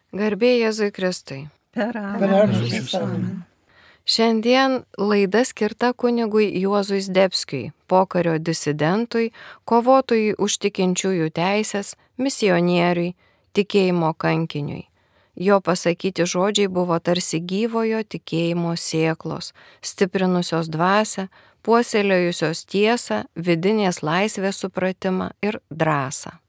Garbė Jėzui Kristui. Per amžius. amen. Šiandien laida skirta kunigui Juozui Zdebskiui, pokario disidentui, kovotojui už tikinčiųjų teisės, misionieriui, tikėjimo kankiniui. Jo pasakyti žodžiai buvo tarsi gyvojo tikėjimo sėklos, stiprinusios dvasią, puoselėjusios tiesą, vidinės laisvės supratimą ir drąsą.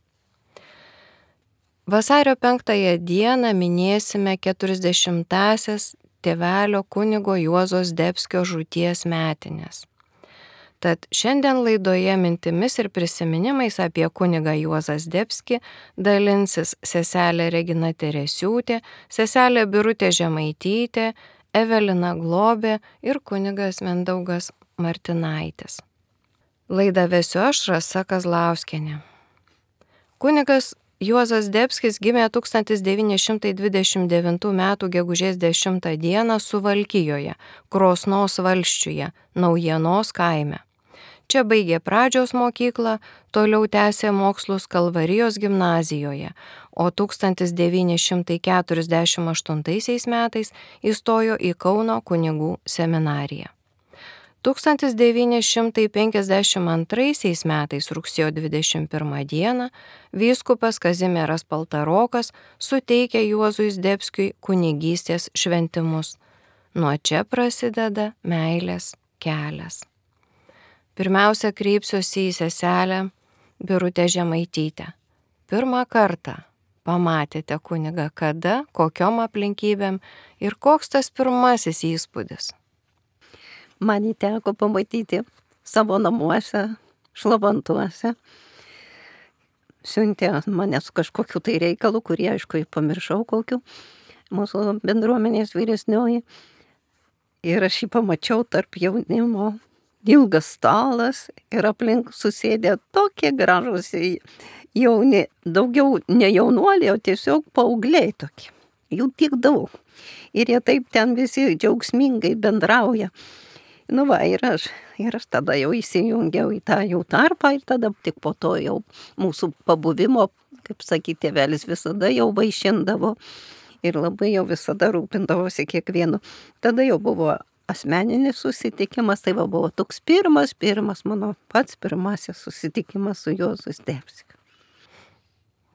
Vasario 5 dieną minėsime 40-asias tėvelio kunigo Juozo Zdebskio žūties metinės. Tad šiandien laidoje mintimis ir prisiminimais apie kunigą Juozą Zdebskį dalinsis seselė Regina Teresiūtė, seselė Birutė Žemaitytė, Evelina Globė ir kunigas Mindaugas Martinaitis. Laidą vesiu aš, Rasa Kazlauskienė. Kunigas Juozas Zdebskis gimė 1929 m. gegužės 10 d. Suvalkijoje, Krosnos valsčiuje, Naujienos kaime. Čia baigė pradžios mokyklą, toliau tęsė mokslus Kalvarijos gimnazijoje, o 1948 metais įstojo į Kauno kunigų seminariją. 1952 metais rugsėjo 21 dieną vyskupas Kazimieras Paltarokas suteikė Juozui Zdebskiui kunigystės šventimus. Nuo čia prasideda meilės kelias. Pirmiausia, kreipsiuosi į seselę Birutę Žemaitytę. Pirmą kartą pamatėte kunigą kada, kokiom aplinkybėm ir koks tas pirmasis įspūdis? Man jį teko pamatyti savo namuose, Šlavantuose. Siuntė mane su kažkokiu tai reikalu, kurį aišku pamiršau kokiu, mūsų bendruomenės vyresnioji. Ir aš jį pamačiau tarp jaunimo, ilgas stalas ir aplink susėdė tokie gražūs jauni, daugiau ne jaunuoliai, o tiesiog paaugliai tokie. Jų tiek daug. Ir jie taip ten visi džiaugsmingai bendrauja. Nu va, ir aš tada jau įsijungiau į tą jų tarpą ir tada tik po to jau mūsų pabuvimo, kaip sakyti, tėvelis visada jau vaišindavo ir labai jau visada rūpindavosi kiekvienu. Tada jau buvo asmeninis susitikimas, tai buvo toks pirmas mano pats pirmasis susitikimas su Juozu Zdebskiu.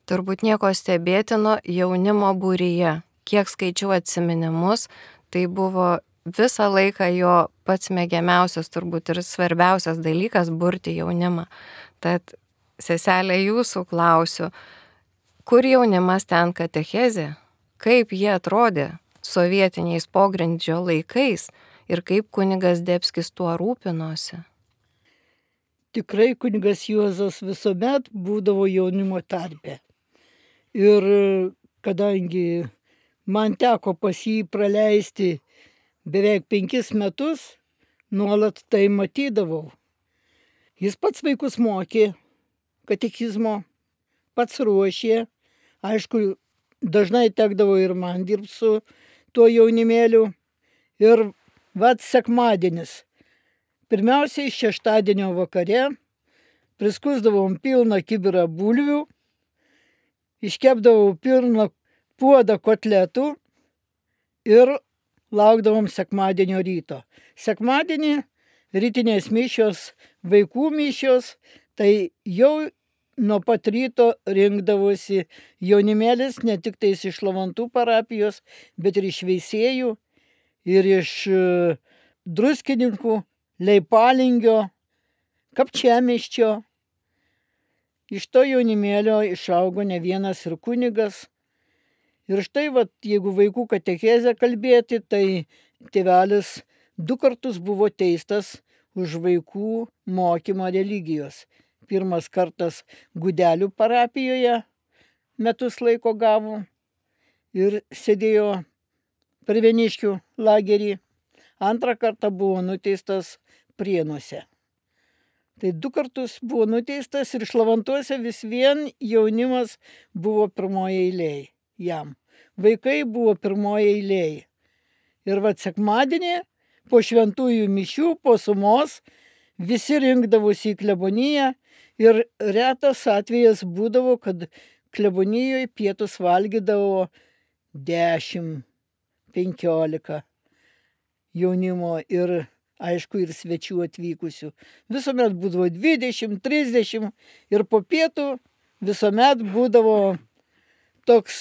Turbūt nieko stebėtino jaunimo būryje. Kiek skaičiau atsiminimus, tai buvo visą laiką jo pats mėgiamiausias turbūt ir svarbiausias dalykas burti jaunimą. Tad, seselė, jūsų klausiu, kur jaunimas ten katechezė? Kaip jie atrodė sovietiniais pogrindžio laikais ir kaip kunigas Zdebskis tuo rūpinosi? Tikrai kunigas Juozas visuomet būdavo jaunimo tarpe. Ir kadangi man teko pas jį praleisti beveik 5 metus, nuolat tai matydavau. Jis pats vaikus mokė katekizmo, pats ruošė. Aišku, dažnai tekdavo ir man dirbti su tuo jaunimėliu. Ir sekmadienis. Pirmiausiai šeštadienio vakare priskusdavom pilną kibirą bulvių, iškepdavau pilną puodą kotletų ir laukdavom sekmadienio ryto. Sekmadienį rytinės mišios, vaikų mišios, tai jau nuo pat ryto rinkdavosi jaunimėlis ne tik tais iš Šlavantų parapijos, bet ir iš Veisiejų ir iš Druskininkų, Leipalingio, Kapčiamiesčio. Iš to jaunimėlio išaugo ne vienas ir kunigas. Ir štai, jeigu vaikų katechezę kalbėti, tai tėvelis 2 kartus buvo teistas už vaikų mokymą religijos. Pirmas kartas Gudelių parapijoje metus laiko gavo ir sėdėjo Perveniškių lagerį. Antrą kartą buvo nuteistas Prienuose. Tai 2 kartus buvo nuteistas ir Šlavantuose vis vien jaunimas buvo pirmoje eilėje jam. Vaikai buvo pirmoje eilėje. Ir sekmadienį po šventųjų mišių, po sumos, visi rinkdavosi į kleboniją ir retas atvejas būdavo, kad klebonijoje pietus valgydavo 10, 15 jaunimo ir aišku ir svečių atvykusių. Visuomet būdavo 20, 30 ir po pietų visuomet būdavo toks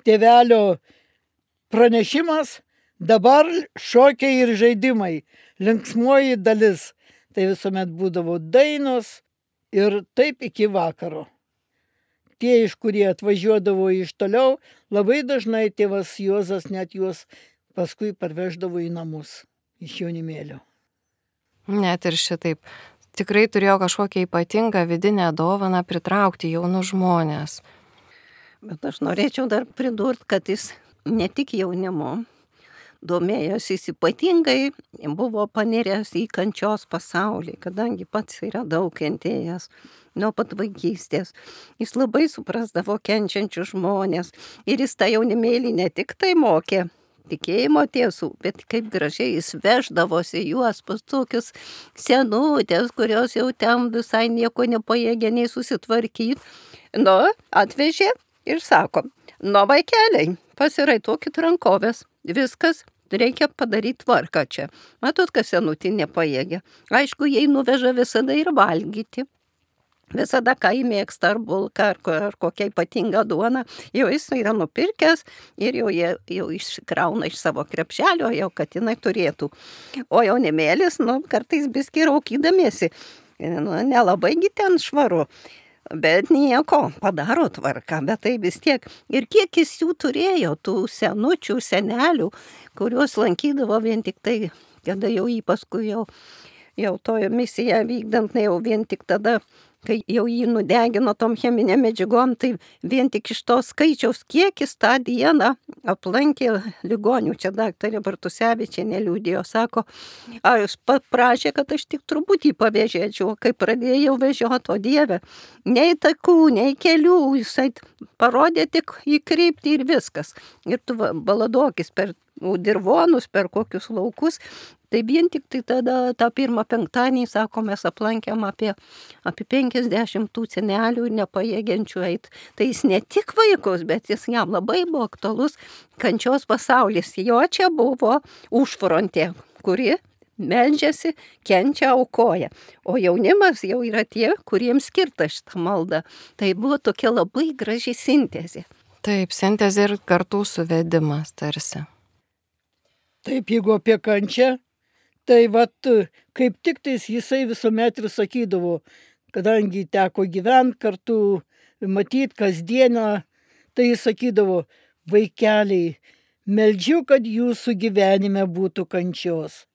tėvelio pranešimas, dabar šokiai ir žaidimai, linksmoji dalis. Tai visuomet būdavo dainos ir taip iki vakaro. Tie, iš kurie atvažiuodavo iš toliau, labai dažnai tėvas Juozas net juos paskui parveždavo į namus iš jaunimėlio. Net ir šitaip. Tikrai turėjo kažkokią ypatingą vidinę dovaną pritraukti jaunus žmonės. Bet aš norėčiau dar pridurti, kad jis ne tik jaunimu domėjosi, jis ypatingai buvo paniręs į kančios pasaulį, kadangi pats yra daug kentėjęs nuo pat vaikystės. Jis labai suprasdavo kenčiančius žmonės ir jis tą jaunimėlį ne tik tai mokė tikėjimo tiesų, bet kaip gražiai jis veždavosi juos pas tokius senutės, kurios jau ten visai nieko nepajėgė nei susitvarkyti. Atvežė ir sako, vaikeliai, pasiraitokit rankovės, viskas, reikia padaryti tvarką čia. Matot, kas senutė nepajėgė. Aišku, jai nuveža visada ir valgyti. Visada, ką įmėgsta, ar bulką, ar kokia ypatinga duona, jau jis yra nupirkęs ir jau iškrauna iš savo krepšelio, jau kad jinai turėtų. O jaunimėlis, kartais biskį raukydamiesi, nelabaigi ten švaru. Bet nieko, padaro tvarką, bet tai vis tiek. Ir kiek jis jų turėjo, tų senučių, senelių, kuriuos lankydavo vien tik tai, kada jau jį paskui jau tojo misiją vykdant, jau vien tik tada, kai jau jį nudegino tom cheminėm medžiagom, tai vien tik iš to skaičiaus, kiek jis tą dieną aplankė ligonių. Čia daktarė Bartusevičienė liudijo, sako, aš paprašė, kad aš tik truputį pavėžėčiau, kai pradėjau vežioti, o Dieve, nei takų, nei kelių, jisai parodė tik į kryptį ir viskas. Ir tu baladokis per dirvonus, per kokius laukus. Tai vien tik tai tada tą pirmą penktadienį, sako, mes aplankėm apie 50 tų senelių ir nepajėgiančių eiti. Tai jis ne tik vaikus, bet jis jam labai buvo aktualus kančios pasaulis. Jo čia buvo užfrontė, kuri meldžiasi, kenčia, aukoja. O jaunimas jau yra tie, kuriems skirta šitą maldą. Tai buvo tokia labai graži sintezė. Taip, sintezė ir kartų suvedimas tarsi. Taip, jeigu apie kančią, tai kaip tik tais jisai visuomet ir sakydavo, kadangi teko gyventi kartu, matyti kasdieną, tai jis sakydavo, vaikeliai, meldžiu, kad jūsų gyvenime būtų kančios.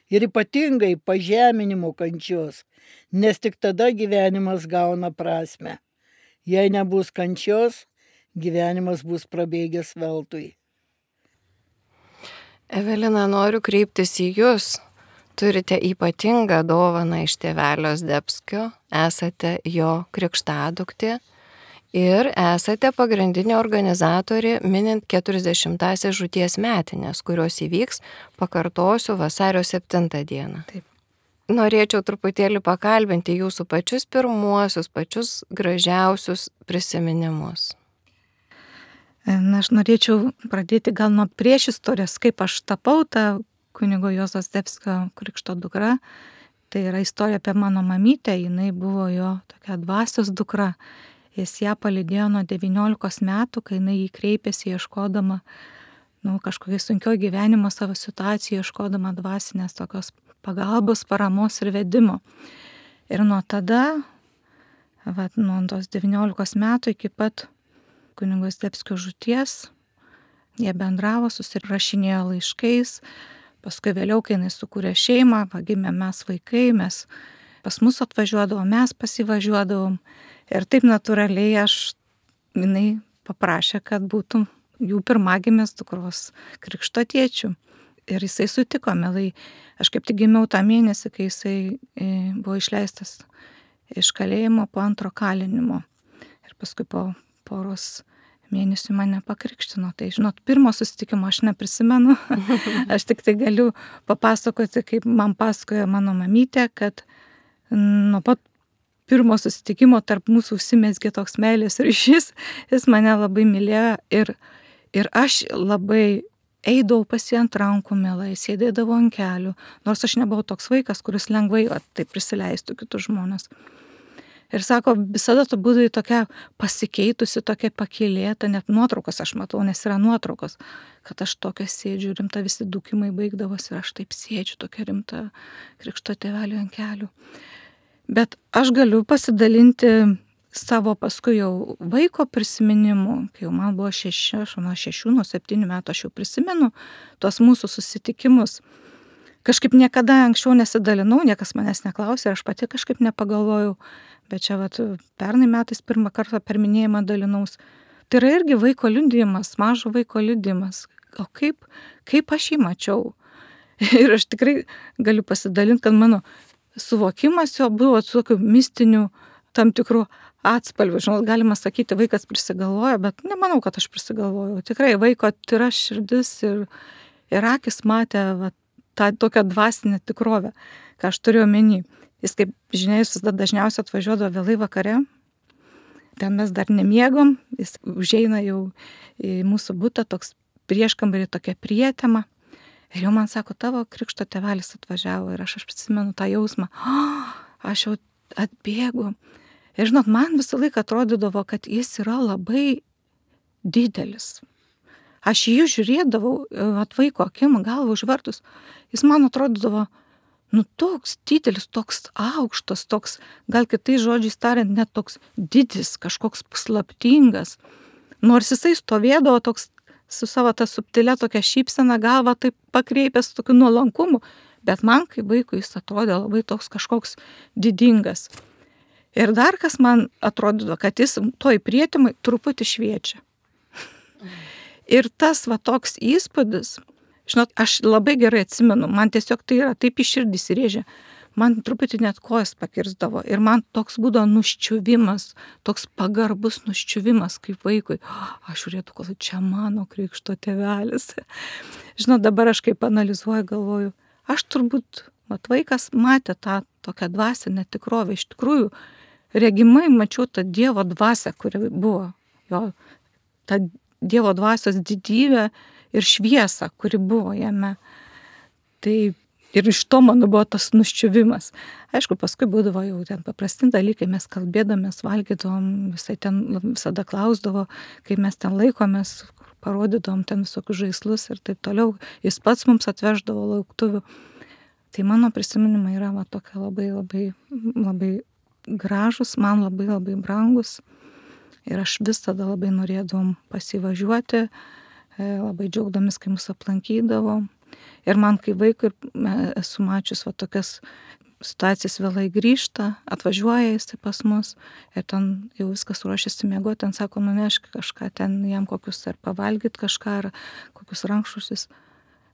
Ir ypatingai pažeminimo kančios, nes tik tada gyvenimas gauna prasmę. Jei nebus kančios, gyvenimas bus prabėgęs veltui. Evelina, noriu kreiptis į jūs. Turite ypatingą dovaną iš tėvelio Zdebskio, esate jo krikštaduktė ir esate pagrindinė organizatorė minint 40-asias žūties metinės, kurios įvyks, pakartosiu, vasario 7 dieną. Taip. Norėčiau truputėlį pakalbinti jūsų pačius pirmuosius, pačius gražiausius prisiminimus. Aš norėčiau pradėti gal nuo priešistorės, kaip aš tapau tą kunigo Juozo Zdebskio krikšto dukra. Tai yra istorija apie mano mamytę, jinai buvo jo tokia dvasios dukra. Jis ją palydėjo nuo 19 metų, kai jinai jį kreipėsi ieškodama kažkokiai sunkio gyvenimo savo situacijų, ieškodama dvasinės tokios pagalbos, paramos ir vedimo. Ir nuo tada, nuo tos 19 metų iki pat kunigo Zdebskio žūties, jie bendravo, susirašinėjo laiškais. Paskui vėliau, kai jinai sukūrė šeimą, gimė mes vaikai, mes pas mus atvažiuodavom, mes pasivažiuodavom. Ir taip natūraliai jinai paprašė, kad būtų jų pirmagimės dukros krikšto tėčių. Ir jisai sutiko, mielai. Aš kaip tik gimiau tą mėnesį, kai jisai buvo išleistas iš kalėjimo po antro kalinimo. Ir paskui po poros mėnesių mane pakrikštino. Tai, žinot, pirmo susitikimo aš neprisimenu. Aš tik tai galiu papasakoti, kaip man pasakojo mano mamytė, kad nuo pat pirmo susitikimo tarp mūsų užsimezgė toks meilės ryšys. Jis mane labai mylėjo Ir aš labai eidavau pas jį ant rankų mielai, sėdėdavau ant kelių, nors aš nebuvau toks vaikas, kuris lengvai tai prisileistų kitus žmonės. Ir sako, visada tu būdai tokia pasikeitusi, tokia pakylėta, net nuotraukas aš matau, nes yra nuotraukos, kad aš tokia sėdžiu, rimta visi dūkimai baigdavosi ir aš taip sėdžiu, tokia rimta Krikšto tėvelių ant kelių. Bet aš galiu pasidalinti savo paskui jau vaiko prisiminimu, kai jau man buvo 6, nuo 7 metų aš jau prisimenu tuos mūsų susitikimus. Kažkaip niekada anksčiau nesidalinau, niekas manęs neklausė, aš pati kažkaip nepagalvojau, bet čia pernai metais pirmą kartą per minėjimą dalinaus. Tai yra irgi vaiko liudijimas, mažo vaiko liudijimas. O kaip aš jį mačiau? Ir aš tikrai galiu pasidalinti, kad mano suvokimas jo buvo su tokiu mistiniu tam tikrų atspalvių. Žinot, galima sakyti, vaikas prisigalvoja, bet nemanau, kad aš prisigalvojau. Tikrai vaiko tyra širdis ir akis matė tą tokią dvasinę tikrovę, ką aš turėjau omeny. Jis, kaip žinia, jis visada dažniausiai atvažiuodavo vėlai vakare. Ten mes dar nemiegom, jis užeina jau į mūsų butą, toks prieškambarį, tokia prietema. Ir jau man sako, tavo Krikšto tėvelis atvažiavo ir aš prisimenu tą jausmą. Aš jau atbėgu. Ir žinot, man visą laiką atrodydavo, kad jis yra labai didelis. Aš jį žiūrėdavau, atvaiko akim, galvą užvertus. Jis man atrodydavo, toks didelis, toks aukštas, toks, gal kitais žodžiais tariant, net toks didis, kažkoks paslaptingas. Nors jisai stovėdavo toks su savo tą subtilę tokią šypseną, galvą taip pakreipęs tokiu nuolankumu, bet man kaip vaikui jis atrodė labai toks kažkoks didingas. Ir dar kas man atrodydavo, kad jis toj prietimai truputį šviečia. Ir tas toks įspūdis, žinot, aš labai gerai atsimenu, man tiesiog tai yra taip į širdį įsirėžė, man truputį net kojas pakirsdavo ir man toks būdavo nuščiuvimas, toks pagarbus nuščiuvimas kaip vaikui. Aš žiūrėtų, kad čia mano Krikšto tėvelis. Žinot, dabar aš kaip analizuoju, galvoju, aš turbūt, vaikas matė tą tokią dvasinę tikrovę, iš tikrųjų, regimai mačiau tą Dievo dvasią, kuri buvo, jo, tą Dievo dvasios didybę ir šviesą, kuri buvo jame. Tai ir iš to mano buvo tas nuščiuvimas. Aišku, paskui būdavo jau ten paprasti dalykai, mes kalbėdamės, valgydavom, visai ten visada klausdavo, kaip mes ten laikomės, parodydavom ten visokius žaislus ir taip toliau. Jis pats mums atveždavo lauktuvių. Tai mano prisiminimai yra tokie labai, labai, labai gražus, man labai, labai brangus. Ir aš visada labai norėdavom pasivažiuoti, labai džiaugdamis, kai mus aplankydavo. Ir man kaip vaikui esu mačius tokias situacijas, vėlai grįžta, atvažiuoja jis pas mus ir ten jau viskas ruošiasi miegoti, ten sako, nunešk kažką, ten jam kokius ar pavalgyt kažką, ar kokius rankšluosčius.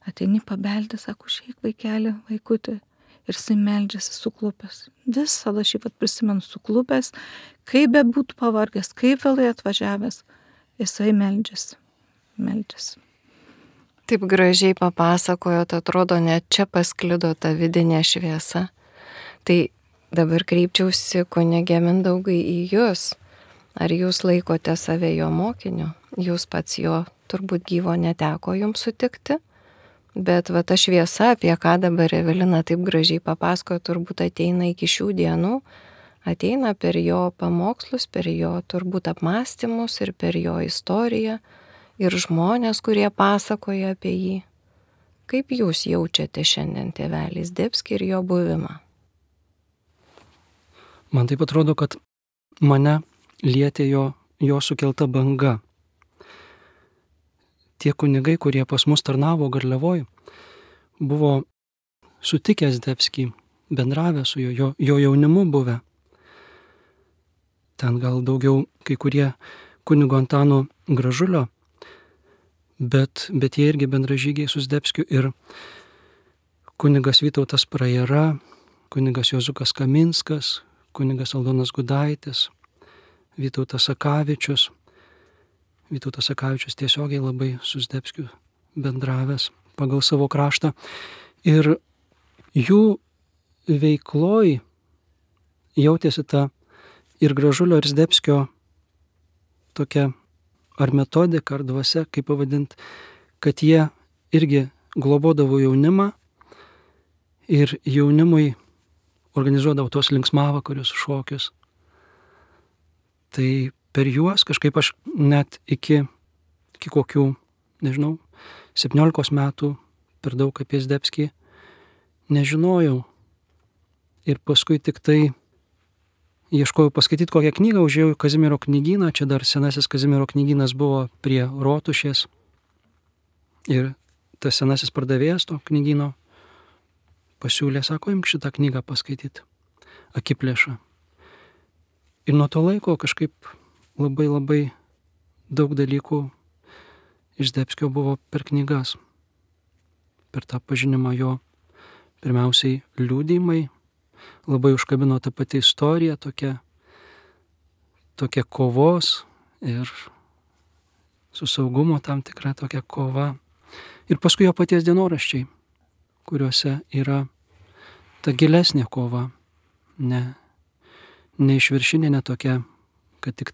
Ateini pabeldė, sako, šiek vaikelį, vaikutį. Ir jisai meldžiasi suklupęs. Visada šį prisimenu suklupęs, kaip be būtų pavargęs, kaip vėlai atvažiavęs, jisai meldžiasi. Taip gražiai papasakojot, atrodo, net čia pasklido ta vidinė šviesa. Tai dabar kreipčiausi kunige Mindaugai į jūs. Ar jūs laikote save jo mokiniu? Jūs pats jo turbūt gyvo neteko jums sutikti? Bet ta šviesa, apie ką dabar Evelina taip gražiai papasakojo, turbūt ateina iki šių dienų, ateina per jo pamokslus, per jo turbūt apmąstymus ir per jo istoriją ir žmonės, kurie pasakoja apie jį. Kaip jūs jaučiate šiandien tėvelį Zdebskį ir jo buvimą? Man taip atrodo, kad mane lietė jo sukelta banga. Tie kunigai, kurie pas mus tarnavo Garliavoj, buvo sutikę Zdebskį, bendravę su jo jaunimu buvę. Ten gal daugiau kai kurie kunigo Antano Gražulio, bet jie irgi bendražygiai su Zdebskiu ir kunigas Vytautas Prajera, kunigas Juozukas Kaminskas, kunigas Aldonas Gudaitis, Vytautas Sakavičius. Vytautas Sakavičius tiesiogiai labai su Zdebskiu bendravęs pagal savo kraštą. Ir jų veikloj jautėsi ta ir Gražulio, ir Zdebskio tokia ar metodika, ar dvasia, kaip pavadinti, kad jie irgi globodavo jaunimą ir jaunimui organizuodavo tuos linksmavakarius, šokius. Tai per juos kažkaip aš net iki kokių, nežinau, 17 metų per daug apie Zdebskį nežinojau. Ir paskui tik tai ieškojau paskaityti kokią knygą, užėjau į Kazimiero knygyną, čia dar senasis Kazimiero knygynas buvo prie Rotušės. Ir tas senasis pardavėjas to knygyno pasiūlė, sako, imk šitą knygą paskaityti, Akiplėšą. Ir nuo to laiko kažkaip labai daug dalykų iš Zdebskio buvo per knygas, per tą pažinimą jo, pirmiausiai liudijimai, labai užkabino ta pati istorija, tokia kovos ir su saugumo tam tikra tokia kova. Ir paskui jo paties dienoraščiai, kuriuose yra ta gilesnė kova, ne išviršinė, ne tokia, kad tik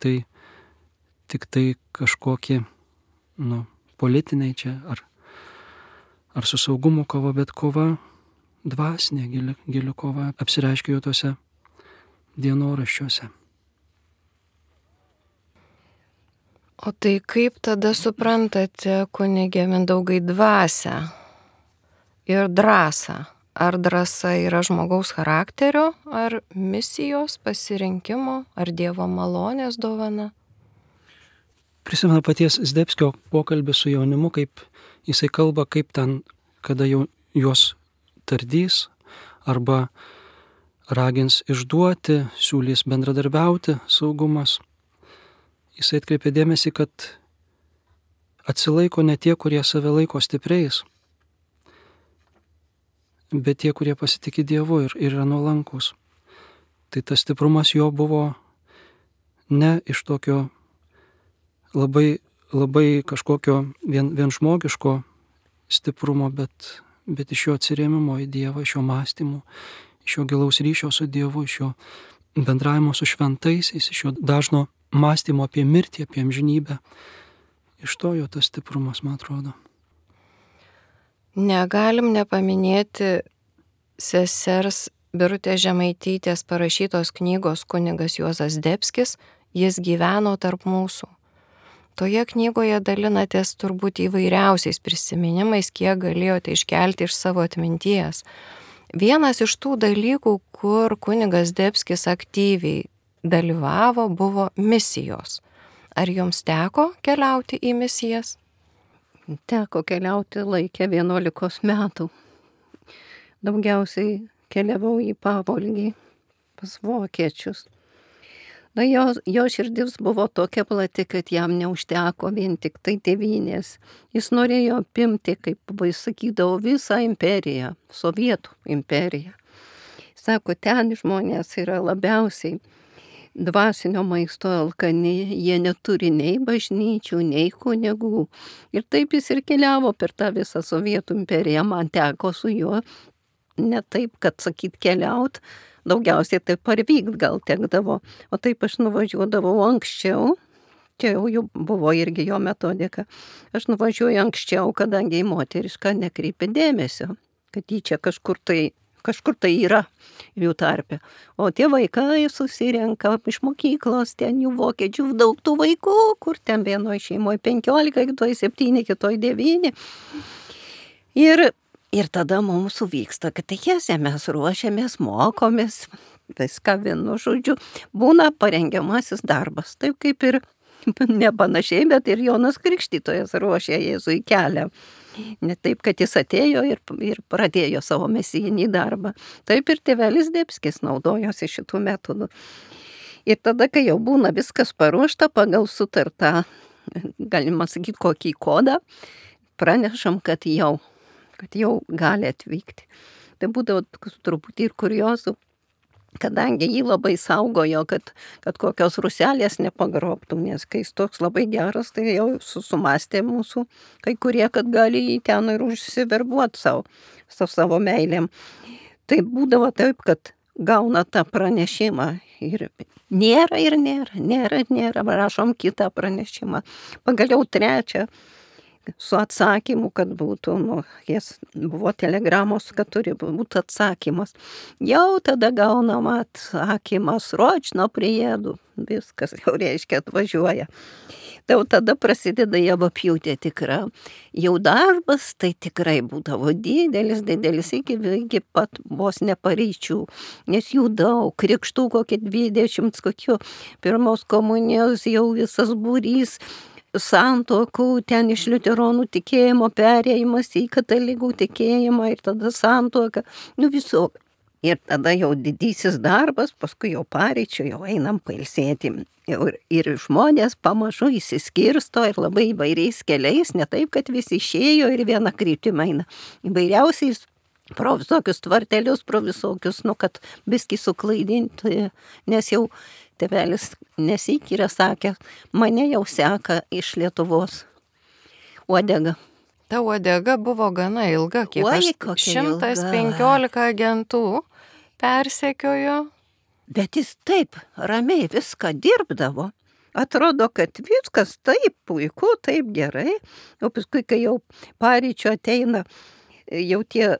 tai kažkokie, politiniai čia, ar su saugumo kova, bet kova dvasinė, gili kova apsireiškia jau tose dienoraščiuose. O tai kaip tada suprantate, kunige Mindaugai, dvasią ir drąsą? Ar drąsa yra žmogaus charakterio, ar misijos pasirinkimo, ar Dievo malonės dovana? Prisimenu paties Zdebskio pokalbį su jaunimu, kaip jisai kalba, kaip ten, kada jau juos tardys arba ragins išduoti, siūlys bendradarbiauti saugumas. Jisai atkreipė dėmesį, kad atsilaiko ne tie, kurie save laiko stipriais, bet tie, kurie pasitikė Dievu ir yra nuolankus. Tai tas stiprumas jo buvo ne iš tokio labai kažkokio vien žmogiško stiprumo, bet iš jo atsirėmimo į Dievą, iš jo mąstymų, iš jo gilaus ryšio su Dievu, iš jo bendravimo su šventaisiais, iš jo dažno mąstymo apie mirtį, apie amžinybę. Iš to jo tas stiprumas, man atrodo. Negalim nepaminėti sesers Birutės Žemaitytės parašytos knygos Kunigas Juozas Zdebskis, Jis gyveno tarp mūsų. Toje knygoje dalinatės turbūt įvairiausiais prisiminimais, kiek galėjote iškelti iš savo atminties. Vienas iš tų dalykų, kur kunigas Zdebskis aktyviai dalyvavo, buvo misijos. Ar jums teko keliauti į misijas? Teko keliauti laikę 11 metų. Daugiausiai keliavau į Pavolgį pas vokiečius. Jo širdis buvo tokia plati, kad jam neužteko vien tik tai tėvynės. Jis norėjo apimti, kaip sakydavo, visą imperiją, Sovietų imperiją. Sako, ten žmonės yra labiausiai dvasinio maisto alkani, jie neturi nei bažnyčių, nei kunigų. Ir taip jis ir keliavo per tą visą Sovietų imperiją. Man teko su juo ne taip, kad sakyt keliaut, daugiausiai taip parvykt gal tekdavo. O taip aš nuvažiuodavau anksčiau, čia jau buvo irgi jo metodika. Aš nuvažiuoju anksčiau, kadangi į moterišką nekreipia dėmesio, kad jį čia kažkur tai yra jų tarpe. O tie vaikai susirenka iš mokyklos, ten jų vokiečių daug tų vaikų, kur ten vienoje šeimoje 15, kitoje 7, kitoje 9. Ir tada mums vyksta katechezė, mes ruošiamės, mokomės, viską vienu žodžiu. Būna parengiamasis darbas, taip kaip ir ne panašiai, bet ir Jonas Krikštytojas ruošė Jėzui kelią. Ne taip, kad jis atėjo ir pradėjo savo mesijinį darbą. Taip ir tėvelis Zdebskis naudojosi šitų metodų. Ir tada, kai jau būna viskas paruošta pagal sutartą, galima sakyti, kokį kodą, pranešam, kad jau gali atvykti. Tai būdavo truputį ir kuriozų, kadangi jį labai saugojo, kad kokios ruselės nepagrobtų, nes kai jis toks labai geras, tai jau sumastė mūsų kai kurie, kad gali jį ten ir užsiverbuoti savo meilėm. Tai būdavo taip, kad gauna tą pranešimą ir nėra, rašom kitą pranešimą. Pagaliau trečią su atsakymu, kad būtų, jas buvo telegramos, kad turi būti atsakymas. Jau tada gaunama atsakymas, ročno priedu, viskas jau reiškia atvažiuoja. Tai tada prasideda javapjūtė tikra. Jau darbas tai tikrai būdavo didelis iki pat vos neparyčių, nes jų daug, krikštų kokie 20, kokių pirmos komunijos jau visas būrys, santuokų, ten iš liuteronų tikėjimo perėjimas į katalikų tikėjimą ir tada santuoka, visok. Ir tada jau didysis darbas, paskui jau paryčių, jau einam pailsėti. Ir žmonės pamažu įsiskirsto ir labai įvairiais keliais, ne taip, kad visi išėjo ir vieną kryptimą eina. Įvairiausiais pro visokius tvartelius, pro visokius, kad biskį suklaidinti, nes jau tėvelis nesyk yra sakęs, mane jau seka iš Lietuvos uodega. Ta uodega buvo gana ilga, kiek Oi, aš kokia 115 agentų persekiojo. Bet jis taip ramiai viską dirbdavo. Atrodo, kad viskas taip puiku, taip gerai. O paskui, kai jau paryčio ateina, jau tie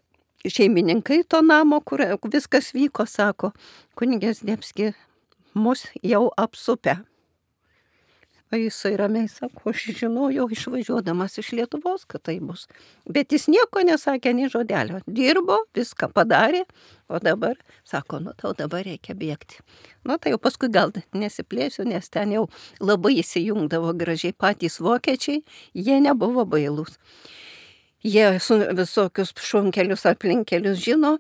šeimininkai to namo, kur viskas vyko, sako, kunigas Zdebski mus jau apsupę. O jisai ramiai sako, aš žinojau išvažiuodamas iš Lietuvos, kad tai bus. Bet jis nieko nesakė, nei žodelio. Dirbo, viską padarė, o dabar sako, tau dabar reikia bėgti. Tai jau paskui gal nesiplėsiu, nes ten jau labai įsijungdavo gražiai patys vokiečiai, jie nebuvo bailūs. Jie visokius šunkelius, aplinkelius žino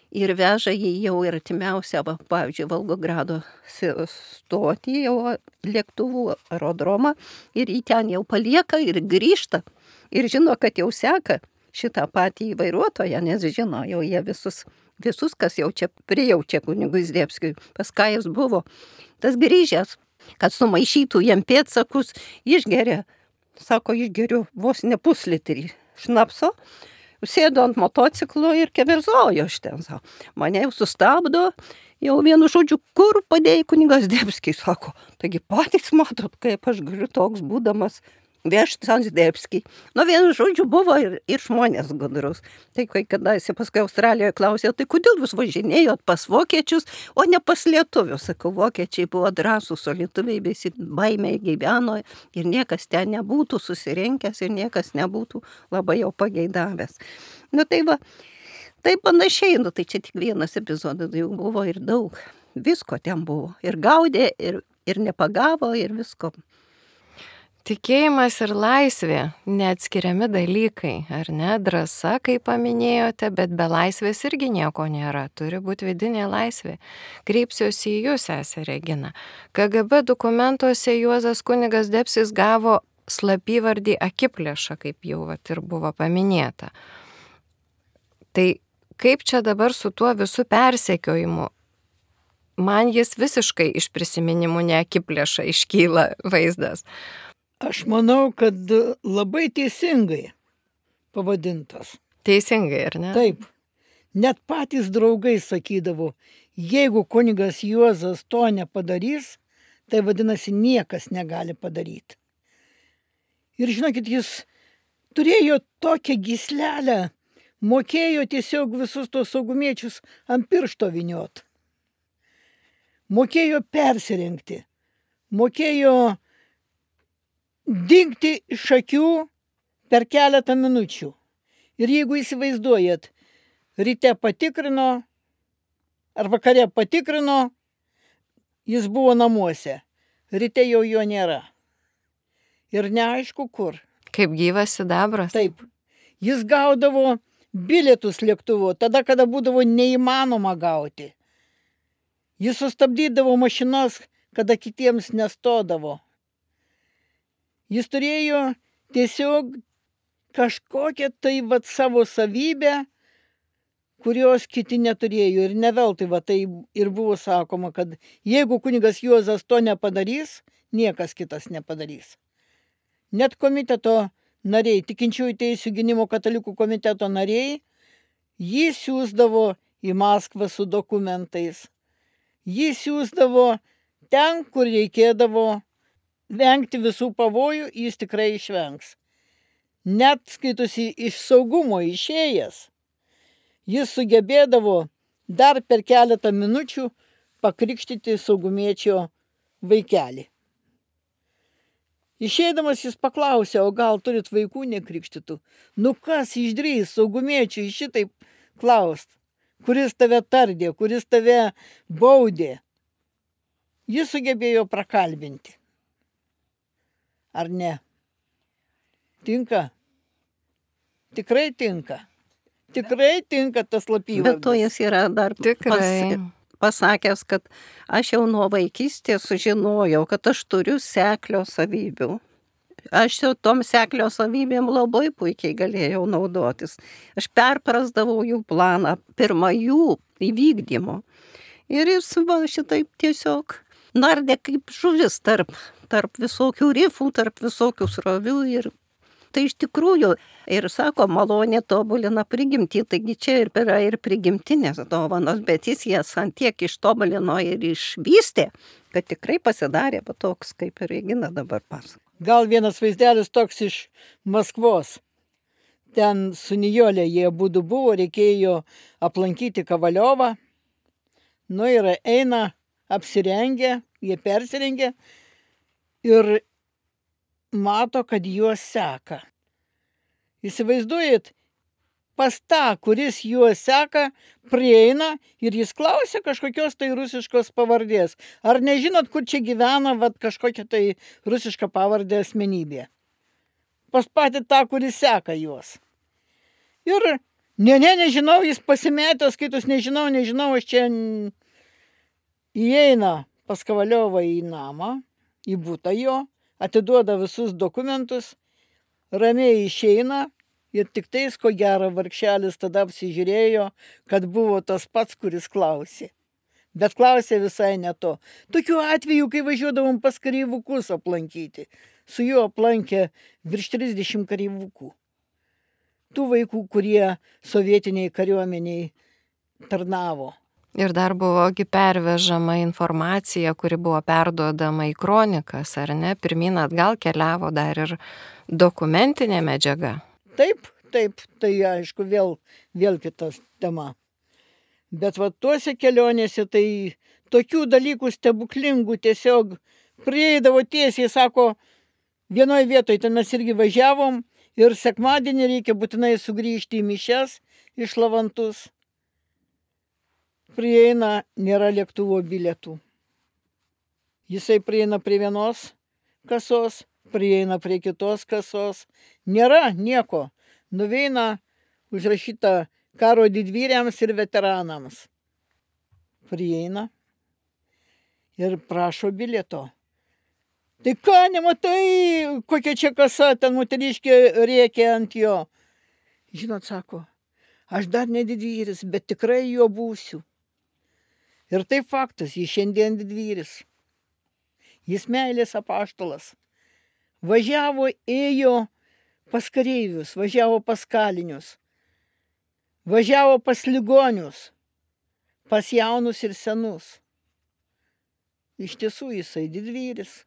ir veža jį jau ir artimiausią, pavyzdžiui, Volgogrado stotį, jau lėktuvų aerodromą, ir jį ten jau palieka ir grįžta. Ir žino, kad jau seka šitą patį vairuotoją, nes žino, jau jie visus, kas jau čia prijaučia kunigui Zdebskiui, pas ką jis buvo. Tas grįžęs, kad sumaišytų jam pėdsakus, išgeria, sako, išgeriu vos ne puslitrį šnapso, sėdo ant motociklo ir keverzojo aš ten, sako. Mane jau sustabdo, jau vienu žodžiu, kur padėjai kunigas Zdebskį, sako. Taigi patys matot, kaip aš galiu toks būdamas vežti Zdebskį. Vienu žodžiu buvo ir žmonės gudrus. Tai kai kadaise paskui Australijoje klausė, tai kodėl jūs važinėjot pas vokiečius, o ne pas lietuvius? Sakau, vokiečiai buvo drąsūs, o lietuviai visi baimiai gyveno ir niekas ten nebūtų susirenkęs ir niekas nebūtų labai jau pageidavęs. Tai panašiai, tai čia tik vienas epizodas, jau buvo ir daug. Visko ten buvo. Ir gaudė, ir nepagavo, ir visko. Tikėjimas ir laisvė neatskiriami dalykai, ar ne? Drąsa, kaip paminėjote, bet be laisvės irgi nieko nėra. Turi būti vidinė laisvė. Kreipsiuosi į jūs, sesė Regina. KGB dokumentuose Juozas kunigas Zdebskis gavo slapyvardį Akiplėša, kaip jau ir buvo paminėta. Tai kaip čia dabar su tuo visų persekiojimu? Man jis visiškai iš prisiminimų ne Akiplėša iškyla vaizdas. Aš manau, kad labai teisingai pavadintas. Teisingai, ar ne? Taip. Net patys draugai sakydavo, jeigu kunigas Juozas to nepadarys, tai vadinasi niekas negali padaryti. Ir žinokit, jis turėjo tokią gyslelę, mokėjo tiesiog visus tos saugumiečius ant piršto vyniot. Mokėjo persirengti, mokėjo dingti iš akių per keletą minučių. Ir jeigu įsivaizduojat, ryte patikrino, ar vakare patikrino, jis buvo namuose. Ryte jau jo nėra. Ir neaišku kur. Kaip gyvas sidabras. Taip. Jis gaudavo bilietus lėktuvo, tada, kada būdavo neįmanoma gauti. Jis sustabdydavo mašinas, kada kitiems nestodavo. Jis turėjo tiesiog kažkokią tai savo savybę, kurios kiti neturėjo. Ir ne veltui tai ir buvo sakoma, kad jeigu kunigas Juozas to nepadarys, niekas kitas nepadarys. Net komiteto nariai, tikinčiųjų teisių gynimo katalikų komiteto nariai, jį siųsdavo į Maskvą su dokumentais. Jį siųsdavo ten, kur reikėdavo vengti visų pavojų, jis tikrai išvengs. Net skaitusi iš saugumo išėjęs, jis sugebėdavo dar per keletą minučių pakrikštyti saugumiečio vaikelį. Išeidamas jis paklausė, o gal turit vaikų nekrikštytų? Nu kas išdrįs saugumiečiui šitaip klaust? Kuris tave tardė, kuris tave baudė? Jis sugebėjo prakalbinti. Ar ne? Tinka? Tikrai tinka. Tikrai tinka tas slapyvardis. Bet to jis yra dar Tikrai. pasakęs, kad aš jau nuo vaikystės sužinojau, kad aš turiu seklio savybių. Aš jau tom seklio savybėm labai puikiai galėjau naudotis. Aš perprasdavau jų planą, pirmą jų įvykdymo. Ir jis va šitaip tiesiog nardė kaip žuvis tarp visokių rifų, tarp visokių srovių. Ir tai iš tikrųjų, ir sako, malonė tobulina prigimtį, taigi čia yra ir prigimtinės dovanos, bet jis jas ant tiek ištobulino ir išvystė, kad tikrai pasidarė toks, kaip ir Regina dabar pasako. Gal vienas vaizdelis toks iš Maskvos. Ten su Nijolė jie būdu buvo, reikėjo aplankyti Kavaliovą. Nu ir eina apsirengę, jie persirengė ir mato, kad juos seka. Įsivaizduojat, pas tą, kuris juos seka, prieina ir jis klausia kažkokios tai rusiškos pavardės. Ar nežinot, kur čia gyvena kažkokia tai rusiška pavardė asmenybė? Pas patį tą, kuris seka juos. Ir nežinau, jis pasimetęs, skaitus, nežinau, aš čia įeina pas Kavaliovą į namą, į butą jo, atiduoda visus dokumentus, ramiai išeina ir tik tais, ko gero, vargšelis tada apsižiūrėjo, kad buvo tas pats, kuris klausė. Bet klausė visai ne to. Tokių atvejų, kai važiuodavom pas kareivukus aplankyti, su juo aplankė virš 30 kareivukų. Tų vaikų, kurie sovietiniai kariuomeniai tarnavo. Ir dar buvogi pervežama informacija, kuri buvo perduodama į kronikas, ar ne? Pirmyn atgal keliavo dar ir dokumentinė medžiaga. Taip, tai aišku, vėl kitas tema. Bet tuose kelionėse tai tokių dalykų stebuklingų tiesiog prieidavo tiesiai, sako, vienoje vietoje ten mes irgi važiavom ir sekmadienį reikia būtinai sugrįžti į mišias iš Lavantus. Prieina, nėra lėktuvo bilietų. Jisai prieina prie vienos kasos, prieina prie kitos kasos. Nėra nieko. Nuveina užrašyta karo didvyriams ir veteranams. Prieina ir prašo bilieto. Tai ką, nematai, kokia čia kasa, ten moteriškė rėkė ant jo. Žinot, sako, aš dar ne didvyris, bet tikrai jo būsiu. Ir tai faktas, jis šiandien didvyris. Jis meilės apaštalas. Važiavo, ėjo pas kareivius, važiavo pas kalinius. Važiavo pas ligonius, pas jaunus ir senus. Iš tiesų jisai didvyris.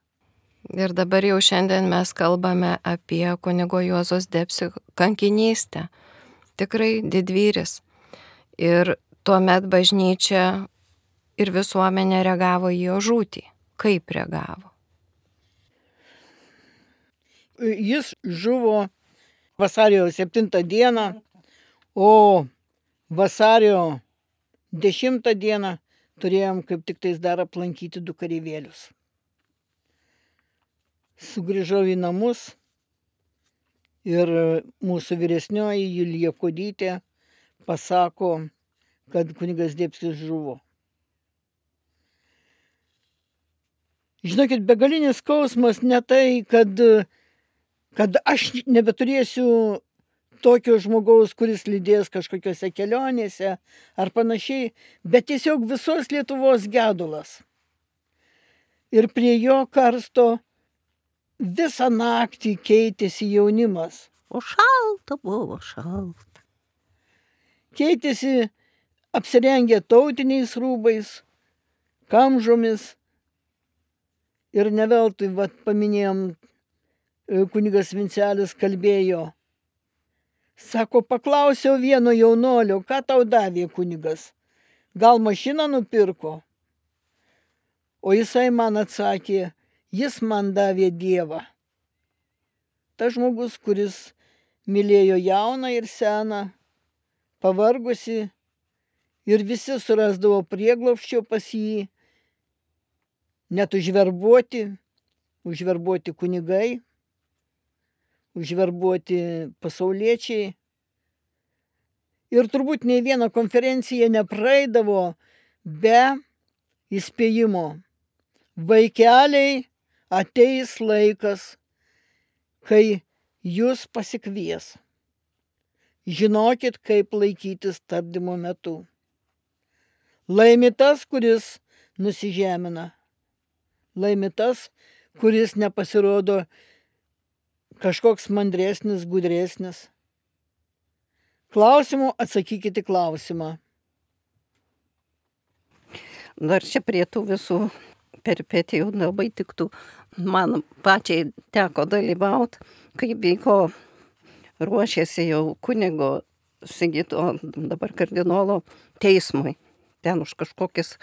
Ir dabar jau šiandien mes kalbame apie kunigo Juozo Zdebskio kankinystę. Tikrai didvyris. Ir tuomet bažnyčia ir visuomenė reagavo į jo žūtį. Kaip reagavo? Jis žuvo vasario 7 dieną, o vasario 10 dieną turėjom kaip tik tais dar aplankyti 2 kareivėlius. Sugrįžau į namus ir mūsų vyresnioji Julija Kodytė pasako, kad kunigas Zdebskis žuvo. Žinokit, begalinis skausmas ne tai, kad aš nebeturėsiu tokio žmogaus, kuris lydės kažkokiose kelionėse ar panašiai, bet tiesiog visos Lietuvos gedulas. Ir prie jo karsto visą naktį keitėsi jaunimas. O šalta buvo, šalta. Keitėsi apsirengę tautiniais rūbais, kamžomis. Ir ne veltui, paminėjom, kunigas Vincelis kalbėjo. Sako, paklausiau vieno jaunolio, ką tau davė kunigas? Gal mašiną nupirko? O jisai man atsakė, jis man davė Dievą. Ta žmogus, kuris mylėjo jauną ir seną, pavargusi, ir visi surasdavo prieglobsčio pas jį, net užverbuoti kunigai, užverbuoti pasauliečiai. Ir turbūt nei viena konferencija nepraeidavo be įspėjimo. Vaikeliai, ateis laikas, kai jūs pasikvies. Žinokit, kaip laikytis tardymo metu. Laimi tas, kuris nusižemina. Laimi tas, kuris nepasirodo kažkoks mandresnis, gudresnis. Klausimų atsakykite klausimą. Dar čia prie tų visų peripetijų labai tiktų. Man pačiai teko dalyvauti, kai vyko, ruošėsi jau kunigo Sigito, dabar kardinolo teismui. Ten už kažkokius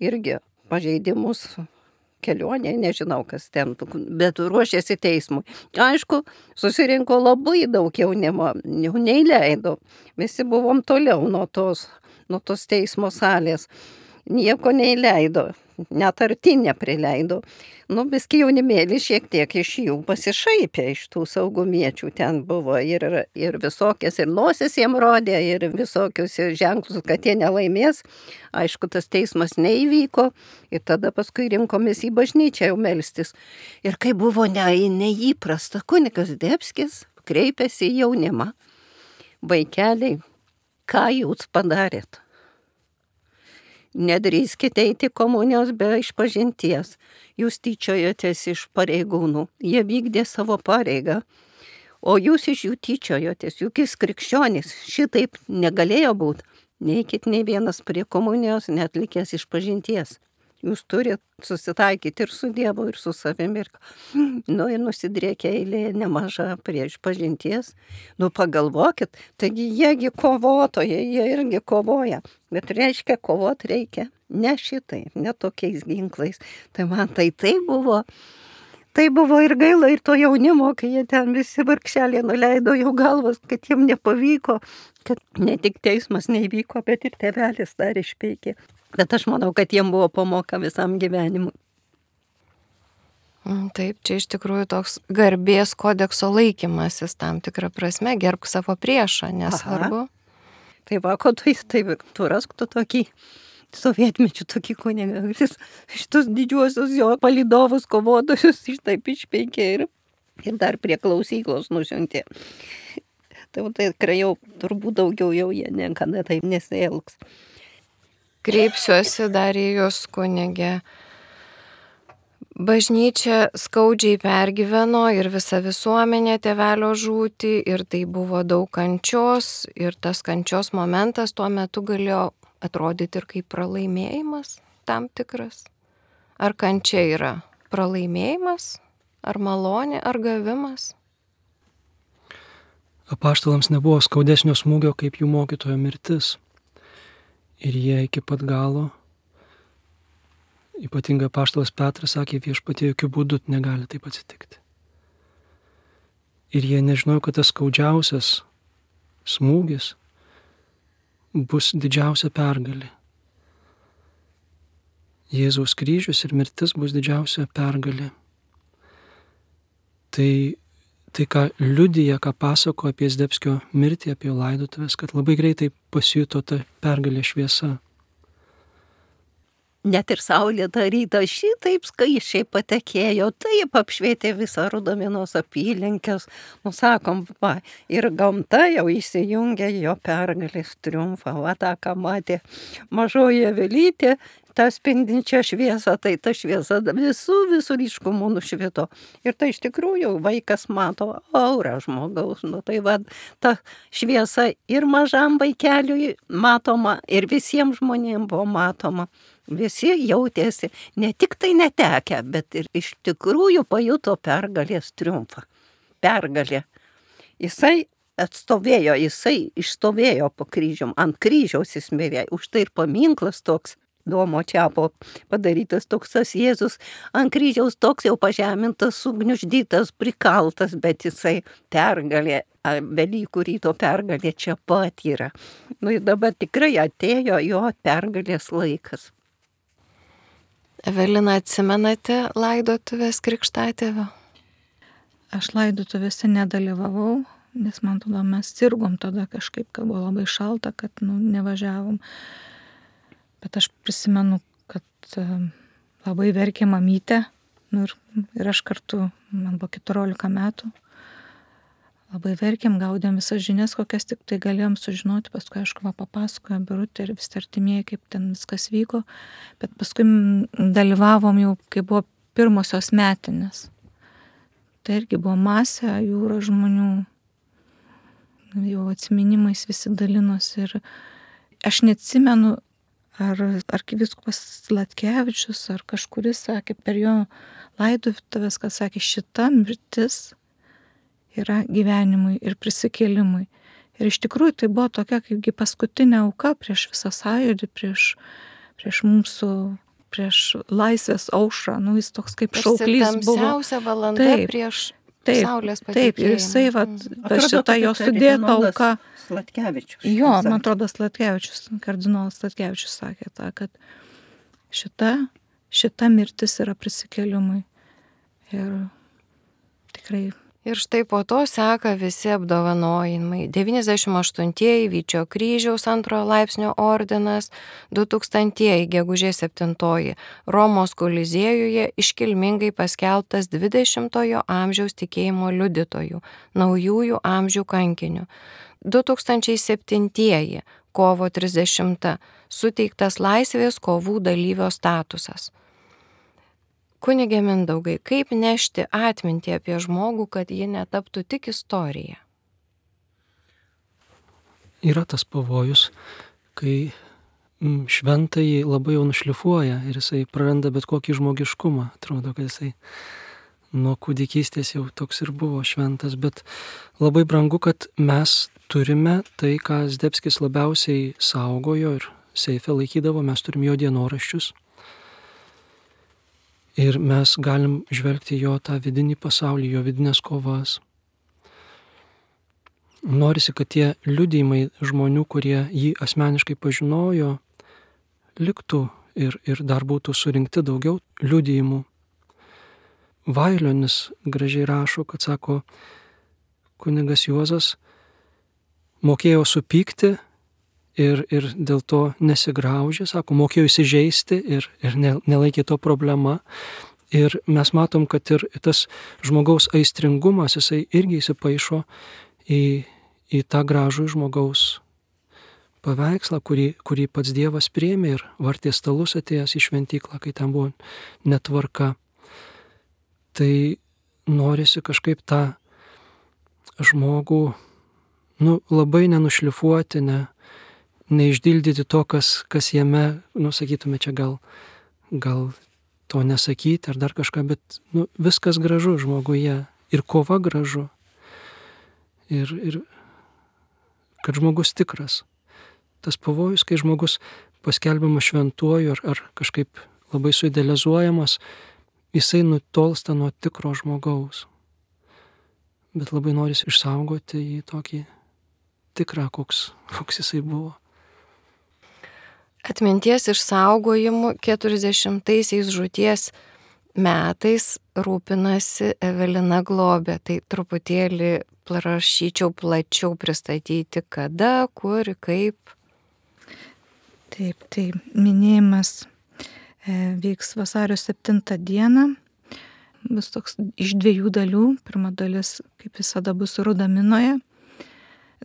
irgi pažeidimus kelionė, nežinau kas ten, bet ruošėsi teismui. Aišku, susirinko labai daug jaunimo, jau neįleido. Visi buvom toliau nuo tos teismo salės. Nieko neįleido, net arti neprileido. Biski jaunimėlį šiek tiek iš jų pasišaipė, iš tų saugumiečių. Ten buvo ir visokias, ir nosis jiem rodė, ir visokius ženklus, kad jie nelaimės. Aišku, tas teismas neįvyko ir tada paskui rinkomės į bažnyčią jau melstis. Ir kai buvo neįprasta, kunigas Zdebskis kreipėsi į jaunimą. Vaikeliai, ką jūs padarėt? Nedrįskite eiti komunijos be išpažinties. Jūs tyčiojotės iš pareigūnų. Jie vykdė savo pareigą. O jūs iš jų tyčiojotės. Juk jis krikščionis. Šitaip negalėjo būti. Neikit nei vienas prie komunijos, netlikęs išpažinties. Jūs turite susitaikyti ir su Dievu, ir su savimi. Ir nusidriekia eilė nemaža prie išpažinties. Pagalvokit, taigi jiegi kovotojai, jie irgi kovoja. Bet reiškia, kovot reikia ne šitai, ne tokiais ginklais. Tai man tai buvo ir gaila, ir to jaunimo, kai jie ten visi vargšeliai nuleido jų galvas, kad jiem nepavyko, kad ne tik teismas neįvyko, bet ir tėvelis dar išpeikė. Bet aš manau, kad jiem buvo pamoka visam gyvenimui. Taip, čia iš tikrųjų toks garbės kodekso laikymasis tam tikrą prasme, gerbk savo priešą, nesvarbu. Tai va, ko tu rask tu tokį sovietmečių tokį kunigą, šitus didžiuosius jo palydovus kovotojus šitaip išpeikė ir dar prie klausyklos nusiuntė. Tai tikrai jau turbūt daugiau jau jie niekada taip nesielgs. Kreipsiuosi dar į jūs, kunigė. Bažnyčia skaudžiai pergyveno ir visa visuomenė tėvelio žūtį ir tai buvo daug kančios ir tas kančios momentas tuo metu galėjo atrodyti ir kaip pralaimėjimas tam tikras. Ar kančia yra pralaimėjimas, ar malonė, ar gavimas? Apaštalams nebuvo skaudesnio smūgio kaip jų mokytojo mirtis. Ir jie iki pat galo, ypatingai apaštalas Petras sakė, viešpatie jokių būdų negali taip atsitikti. Ir jie nežinojo, kad tas skaudžiausias smūgis bus didžiausia pergalė. Jėzaus kryžius ir mirtis bus didžiausia pergalė. Tai ką liudija, ką pasako apie Zdebskio mirtį, apie jo laidotuvės, kad labai greitai pasijuto ta pergalė šviesa. Net ir saulė tą rytą šitaip skaičiai patekėjo, taip apšvietė visą Rudaminos apylinkės. Sakom, ir gamta jau įsijungė jo pergalės triumfą. Va tą, ką matė mažoji Avelytė, tą spindinčią šviesą, tai ta šviesa visų ryškumų nušvito. Ir tai iš tikrųjų vaikas mato aurą žmogaus. Nu, tai va, ta šviesa ir mažam vaikeliui matoma, ir visiems žmonėms buvo matoma. Visi jautėsi ne tik tai netekę, bet ir iš tikrųjų pajuto pergalės triumfą. Pergalė. Jisai atstovėjo, jisai išstovėjo po kryžium, ant kryžiaus jis mirė, už tai ir paminklas toks Domo Čiapo padarytas toks tas Jėzus ant kryžiaus toks jau pažemintas, sugniuždytas, prikaltas, bet jisai pergalė, Velykų ryto pergalė čia pat yra. Nu ir dabar tikrai atėjo jo pergalės laikas. Evelina, atsimenate laidotuvės krikštatėvio? Aš laidotuvėse nedalyvavau, nes man tada mes sirgom tada kažkaip, kad buvo labai šalta, kad nevažiavom. Bet aš prisimenu, kad labai verkė mamytė, ir aš kartu, man buvo 14 metų. Labai verkėm, gaudėm visas žinias, kokias tik tai galėjom sužinoti, paskui aišku papasakojo Birutė ir visi artimieji, kaip ten viskas vyko, bet paskui dalyvavom jau, kai buvo pirmosios metinės. Tai irgi buvo masė, jūra žmonių, jau atsiminimais visi dalinosi ir aš neatsimenu, ar arkivyskupas Zlatkevičius, ar kažkuris sakė per jo laidotuvės, kad sakė, šita mirtis yra gyvenimui ir prisikėlimui. Ir iš tikrųjų tai buvo tokia kaipgi paskutinė auka prieš visą sąjūdį, prieš mūsų, prieš laisvės aušrą. Jis toks kaip šauklys buvo. Tamsiausia valanda prieš saulės patekėjimą. Taip, ir jisai, šitą jo sudėta auka. Zlatkevičius. Jo, man atrodo, kardinolas Zlatkevičius sakė tą, kad šita mirtis yra prisikėlimui. Ir tikrai. Ir štai po to seka visi apdovanojimai. 98-ieji Vyčio kryžiaus 2 laipsnio ordinas, 2000-ieji gegužės 7-oji Romos Koliziejuje iškilmingai paskelbtas 20-ojo amžiaus tikėjimo liudytojų, naujųjų amžių kankinių. 2007-ieji kovo 30 suteiktas laisvės kovų dalyvio statusas. Kunige Mindaugai, kaip nešti atmintį apie žmogų, kad ji netaptų tik istorija? Yra tas pavojus, kai šventąjį labai jau nušlifuoja ir jisai praranda bet kokį žmogiškumą. Atrodo, kad jisai nuo kūdikystės jau toks ir buvo šventas, bet labai brangu, kad mes turime tai, ką Zdebskis labiausiai saugojo ir seife laikydavo, mes turim jo dienoraščius. Ir mes galim žvelgti jo tą vidinį pasaulį, jo vidinės kovas. Norisi, kad tie liudijimai žmonių, kurie jį asmeniškai pažinojo, liktų ir dar būtų surinkti daugiau liudijimų. Vailionis gražiai rašo, kad sako, kunigas Juozas mokėjo supykti ir dėl to nesigraužė, sako, mokėjo įsižeisti ir nelaikė to problema. Ir mes matom, kad ir tas žmogaus aistringumas, jisai irgi įsipaišo į tą gražų žmogaus paveikslą, kurį pats Dievas priėmė ir vartė stalus atėjęs į šventyklą, kai ten buvo netvarka. Tai norisi kažkaip tą žmogų labai nenušlifuoti, neišdildyti to, kas jame, sakytume, čia gal to nesakyti ar dar kažką, bet viskas gražu žmoguje ir kova gražu. Ir kad žmogus tikras. Tas pavojus, kai žmogus paskelbiamas šventuoju ar kažkaip labai suidealizuojamas, jisai nutolsta nuo tikro žmogaus. Bet labai norisi išsaugoti jį tokį tikrą, koks jisai buvo. Atminties išsaugojimu 40-aisiais žūties metais rūpinasi Evelina Globė. Tai truputėlį prašyčiau plačiau pristatyti, kada, kur, kaip. Taip, tai minėjimas vyks vasario 7 dieną. Bus toks iš 2 dalių. Pirma dalis, kaip visada, bus Rudaminoje.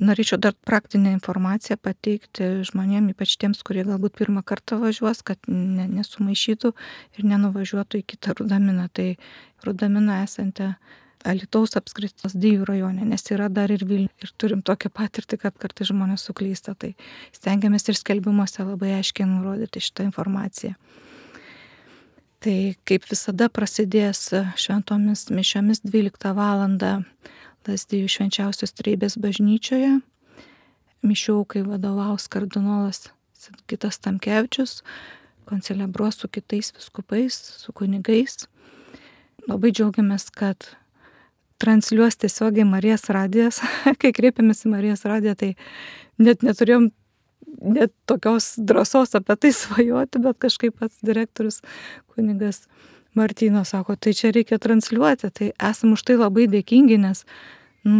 Norėčiau dar praktinę informaciją pateikti žmonėm, ypač tiems, kurie galbūt pirmą kartą važiuos, kad nesumaišytų ir nenuvažiuotų į kitą Rudaminą. Tai Rudamina esanti Alytaus apskritis Lazdijų rajone, nes yra dar ir Vilniuje. Ir turim tokią patirtį, kad kartais žmonės suklysta. Tai stengiamės ir skelbimuose labai aiškiai nurodyti šitą informaciją. Tai kaip visada prasidės šventomis mišiomis 12 valandą Lazdijų švenčiausios Trejybės bažnyčioje. Mišių aukai vadovaus kardinolas Sigitas Tamkevičius, koncelebruos su kitais vyskupais, su kunigais. Labai džiaugiamės, kad transliuos tiesiogiai Marijos radijas. Kai kreipėmės į Marijos radiją, tai net neturėjom net tokios drąsos apie tai svajoti, bet kažkaip pats direktorius kunigas Martynas sako, tai čia reikia transliuoti, tai esam už tai labai dėkingi, nes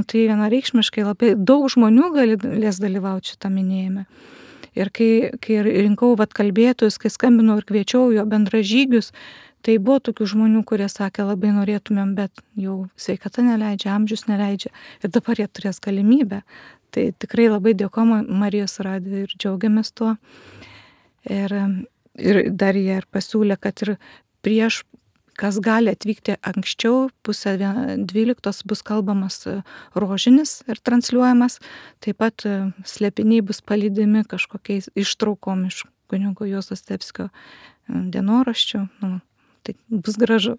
tai vienareikšmiškai labai daug žmonių galės dalyvauti šitą minėjime. Ir kai rinkau kalbėtojus, kai skambinau ir kviečiau jo bendražygius, tai buvo tokių žmonių, kurie sakė, labai norėtumėm, bet jau sveikata neleidžia, amžius neleidžia ir dabar jie turės galimybę. Tai tikrai labai dėkojame Marijos radijui ir džiaugiamės tuo. Ir dar jie ir pasiūlė, kad ir prieš, kas gali atvykti anksčiau, 11:30 bus kalbamas rožinis ir transliuojamas. Taip pat slėpiniai bus palydimi kažkokiais ištraukom iš kunigo Juozo Zdebskio dienoraščių. Tai bus gražu.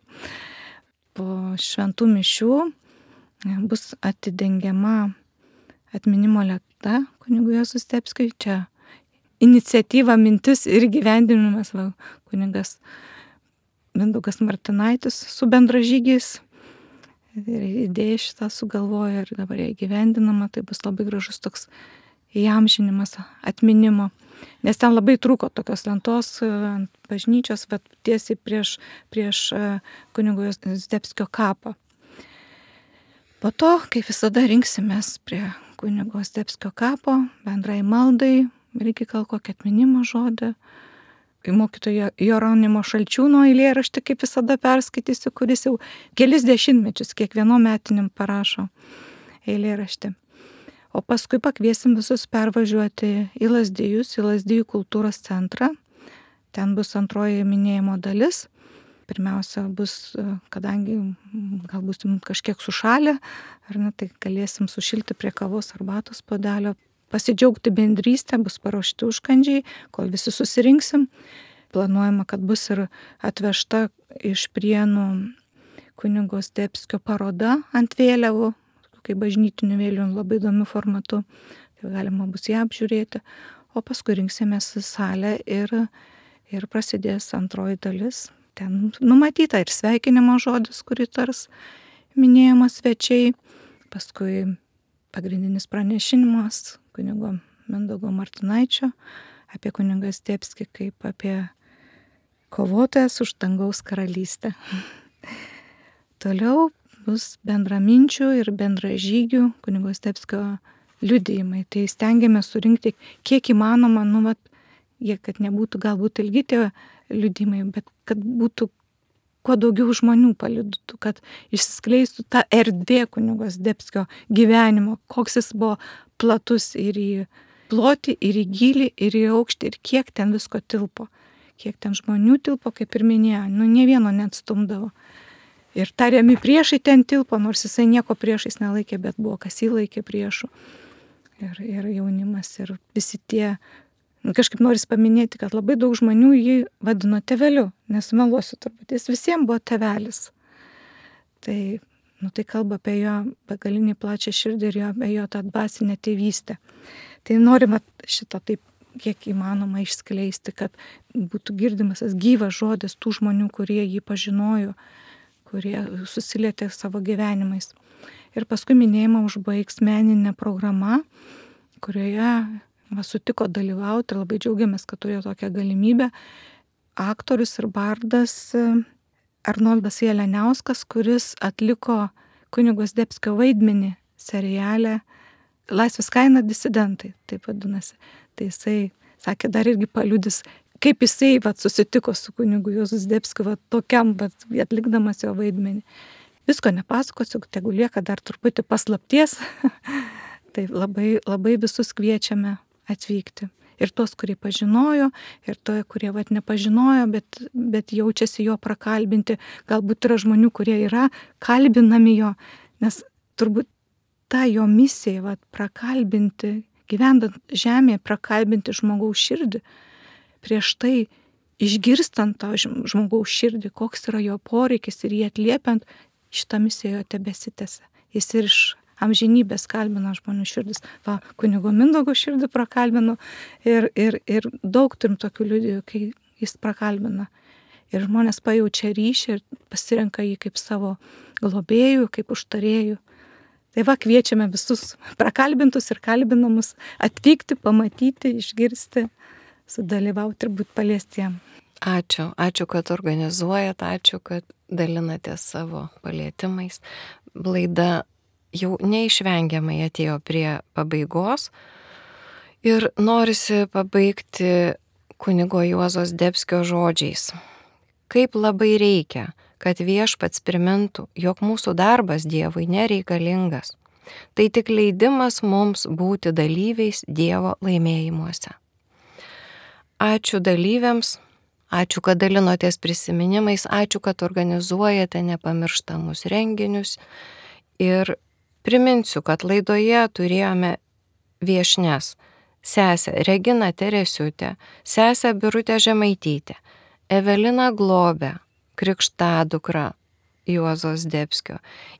Po šventų mišių bus atidengiama atminimo lenta kunigui Juozui Zdebskiui. Čia iniciatyva, mintis ir gyvendinimas kunigas Mindaugas Martinaitis su bendražygiais. Ir idėja šitą sugalvojo ir dabar jie gyvendinama. Tai bus labai gražus toks įamžinimas atminimo. Nes ten labai trūko tokios lentos ant bažnyčios, bet tiesiai prieš kunigo Zdebskio kapą. Po to, kaip visada, rinksimės prie kunigo Zdebskio kapo, bendrai maldai, reikia gal kokį atminimo žodį. Mokytojo Jeronimo Šalčiūno eilėraštį, kaip visada perskaitysiu, kuris jau kelis dešimtmečius kiekvieno metiniam parašo eilėraštį. O paskui pakviesim visus pervažiuoti į Lazdijus, į Lazdijų kultūros centrą. Ten bus antroji minėjimo dalis. Pirmiausia bus, kadangi gal bus kažkiek sušalę, ar ne, tai galėsim sušilti prie kavos arbatos puodelio, pasidžiaugti bendrystę, bus paruošti užkandžiai, kol visi susirinksim. Planuojama, kad bus ir atvežta iš Prienų kunigo Zdebskio paroda ant vėliavų, kaip bažnytinių vėliavų, labai įdomiu formatu. Tai galima bus ją apžiūrėti. O paskui rinksimės į salę ir prasidės antroji dalis. Ten numatyta ir sveikinimo žodis, kurį tars minėjimo svečiai. Paskui pagrindinis pranešinimas kunigo Mindaugo Martinaičio apie kunigą Zdebskį kaip apie kovotojas už dangaus karalystę. Toliau bus bendraminčių ir bendražygių kunigo Zdebskio liudijimai. Tai stengiamės surinkti kiek įmanoma, kad nebūtų galbūt ilgi tie liudijimai, bet kad būtų kuo daugiau žmonių paliudytų, kad išsiskleistų ta erdvė kunigo Zdebskio gyvenimo, koks jis buvo platus ir į plotį, ir į gylį, ir į aukštį, ir kiek ten visko tilpo. Kiek ten žmonių tilpo, kaip ir minėjo, ne vieno neatstumdavo. Ir tariami priešai ten tilpo, nors jisai nieko priešais nelaikė, bet buvo kas jį laikė priešų. Ir jaunimas, ir visi tie. Kažkaip noris paminėti, kad labai daug žmonių jį vadino tėveliu, nesumeluosiu turbūt, jis visiems buvo tėvelis. Tai kalba apie jo begalinį plačią širdį ir apie jo tą dvasinę tėvystę. Tai norime šitą taip kiek įmanoma išskleisti, kad būtų girdimas tas gyvas žodis tų žmonių, kurie jį pažinojo, kurie susilietė savo gyvenimais. Ir paskui minėjimą užbaigs meninė programa, kurioje sutiko dalyvauti ir labai džiaugiamės, kad turėjo tokią galimybę aktorius ir bardas Arnoldas Jeleniauskas, kuris atliko kunigo Zdebskio vaidmenį seriale Laisvės kaina disidentai, taip vadinasi. Tai jisai sakė, dar irgi paliudys, kaip jisai susitiko su kunigu Juozu Zdebskiu tokiam, atlikdamas jo vaidmenį. Visko nepasakosiu, tegu lieka dar truputį paslapties. Tai labai, labai visus kviečiame atvykti. Ir tos, kurie pažinojo, ir to, kurie nepažinojo, bet jaučiasi jo prakalbinti. Galbūt yra žmonių, kurie yra kalbinami jo, nes turbūt ta jo misija, prakalbinti, gyvendant žemėje, prakalbinti žmogaus širdį. Prieš tai išgirstant tą žmogaus širdį, koks yra jo poreikis ir jį atliepiant, šitą misiją jo tebesitęsia. Jis ir iš amžinybės kalbina žmonių širdis. Kunigo Mindaugo širdį prakalbino ir daug turim tokių liudijų, kai jis prakalbina. Ir žmonės pajaučia ryšį ir pasirenka jį kaip savo globėjų, kaip užtarėjų. Tai kviečiame visus prakalbintus ir kalbinamus atvykti, pamatyti, išgirsti, sudalyvauti ir būti paliestiem. Ačiū, kad organizuojat, ačiū, kad dalinatės savo palietimais. Laida jau neišvengiamai atėjo prie pabaigos ir norisi pabaigti kunigo Juozo Zdebskio žodžiais. Kaip labai reikia, kad Viešpats primintų, jog mūsų darbas Dievui nereikalingas. Tai tik leidimas mums būti dalyviais Dievo laimėjimuose. Ačiū dalyviams, ačiū, kad dalinotės prisiminimais, ačiū, kad organizuojate nepamirštamus renginius. Ir priminsiu, kad laidoje turėjome viešnias sesę Reginą Teresiutę, sesę Birutę Žemaitytę, Eveliną Globę, krikštadukra Juozo Zdebskio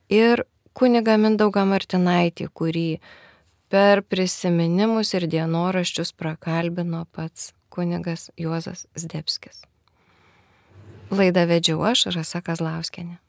ir kunigą Mindaugą Martinaitį, kurį per prisiminimus ir dienoraščius prakalbino pats kunigas Juozas Zdebskis. Laidą vedžiau aš, Rasa Kazlauskienė.